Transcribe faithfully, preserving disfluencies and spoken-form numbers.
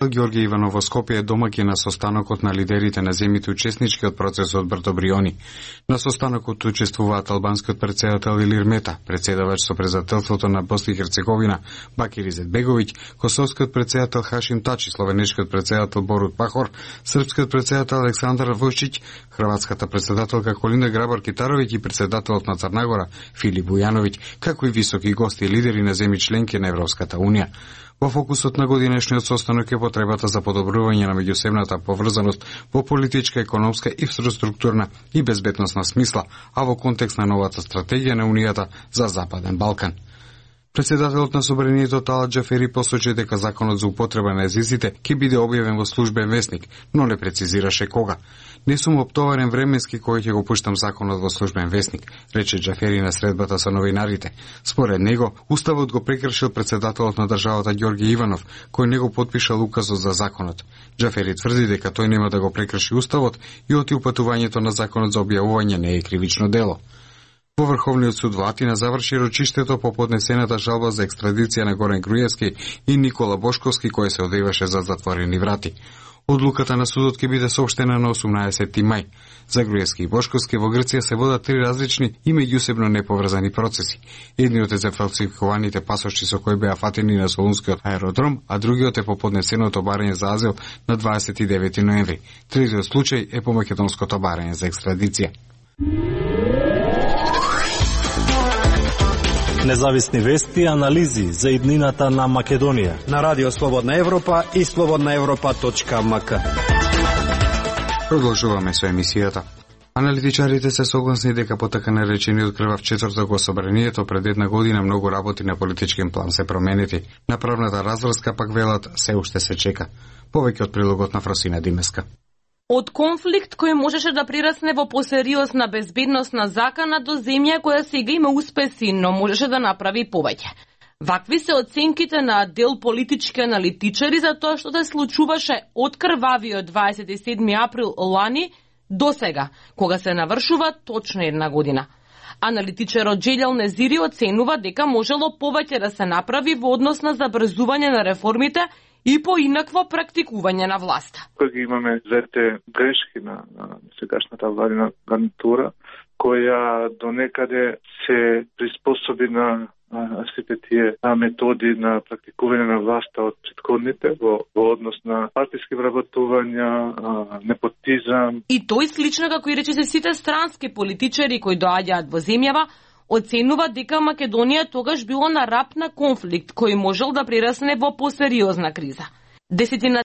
Ѓорѓе Иванов во Скопје е домаќин на состанокот на лидерите на земјите учеснички од процесот Брдо Бриони. На состанокот учествуваат албанскиот претседател Илир Мета, претседавач со председателството на Босна и Херцеговина Бакир Изетбеговиќ, косовскиот претседател Хашим Тачи, словенечкиот претседател Борут Пахор, српскиот претседател Александар Вујчиќ, хрватската претседателка Колинда Грабар-Китаровиќ и претседателот на Црна Гора Филип Бујановиќ, како и високи гости и лидери на земји членки на Европската унија. Во фокусот на годинешниот состанок е потребата за подобрување на меѓусебната поврзаност во политичка, економска, инфраструктурна и безбедносна смисла, а во контекст на новата стратегија на Унијата за Западен Балкан. Председателот на Собранието Талат Џафери посочи дека законот за употреба на езиците ќе биде објавен во службен весник, но не прецизираше кога. Не сум оптоварен временски кој ќе го пуштам законот во службен весник, рече Џафери на средбата со новинарите. Според него, уставот го прекршил председателот на државата Ѓорѓе Иванов, кој не го потпишал указот за законот. Џафери тврди дека тој нема да го прекрши уставот и оти упатувањето на законот за објавување не е кривично дело. Во Врховниот суд во Атина заврши рочиштето по поднесената жалба за екстрадиција на Горан Груевски и Никола Бошковски, кој се одеваше за затворени врати. Одлуката на судот ќе биде соопштена на осумнаесети мај. За Груевски и Бошковски во Грција се водат три различни и меѓусебно неповрзани процеси. Едниот е за фалсификуваните пасоши со кои беа фатени на Солунскиот аеродром, а другиот е по поднесеното барање за азил на дваесет и девети ноември. Третиот случај е по македонското барање за екстрадиција. Независни вести и анализи за иднината на Македонија на Радио Слободна Европа и слободна европа точка ем ка. Продолжуваме со емисијата. Аналитичарите се согласни дека по така наречениот крвав четврток во Собранието пред една година многу работи на политички план се променети. На правната разврска пак велат се уште се чека. Повеќе од прилогот на Фросина Димеска. Од конфликт кој можеше да прирасне во посериозна безбедносна закана до земја која сега има успеси, но можеше да направи повеќе. Вакви се оценките на дел политички аналитичари за тоа што се случуваше од крвавиот дваесет и седми април лани до сега, кога се навршува точно една година. Аналитичарот Џелјал Незири оценува дека можело повеќе да се направи во однос на забрзување на реформите и поинакво практикување на власта. Кога имаме двете грешки на, на сегашната владина гарнитура, која до некаде се приспособи на а, сите тие а, методи на практикување на власта од претходните во, во однос на партиски вработувања, а, непотизам. И тој слично како и рече се сите странски политичари кои доаѓаат во земјава, оценува дека Македонија тогаш било на рап на конфликт кој можел да прирасне во посериозна криза. Десетина